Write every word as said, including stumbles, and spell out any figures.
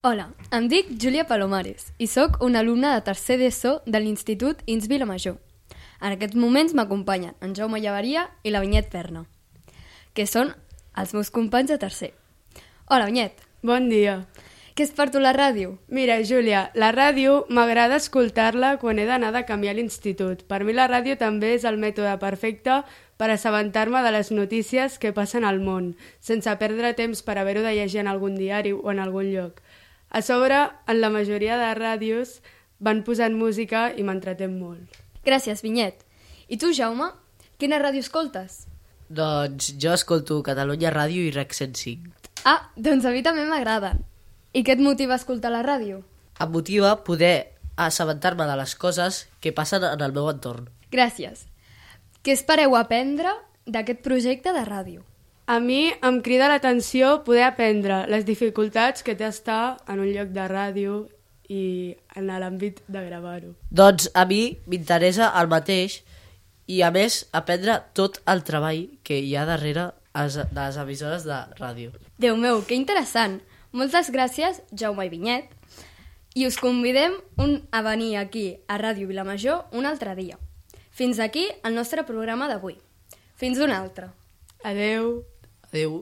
Hola, em dic Júlia Palomares i sóc una alumna de tercer d'ESO de l'Institut I N S Vilamajor. En aquests moments m'acompanyen en Jaume Llaveria i la Vinyet Perna, que són els meus companys de tercer. Hola, Vinyet. Bon dia. Què és per tu la ràdio? Mira, Júlia, la ràdio m'agrada escoltar-la quan he d'anar de camí a l'institut. Per mi la ràdio també és el mètode perfecte per assabentar-me de les notícies que passen al món, sense perdre temps per haver-ho de llegir en algun diari o en algun lloc. A sobre, en la majoria de ràdios van posant música i m'entretén molt. Gràcies, Vinyet. I tu, Jaume, quina ràdio escoltes? Doncs jo escolto Catalunya Ràdio i Rec cent cinc. Ah, doncs a mi també m'agraden. I què et motiva a escoltar la ràdio? Em motiva poder assabentar-me de les coses que passen en el meu entorn. Gràcies. Què espereu aprendre d'aquest projecte de ràdio? A mi em crida l'atenció poder aprendre les dificultats que té estar en un lloc de ràdio i en l'àmbit de gravar-ho. Doncs a mi m'interessa el mateix i a més aprendre tot el treball que hi ha darrere de les emissores de ràdio. Déu meu, que interessant! Moltes gràcies, Jaume i Vinyet, i us convidem un a venir aquí a Ràdio Vilamajor un altre dia. Fins aquí el nostre programa d'avui. Fins un altre. Adeu. Adeu.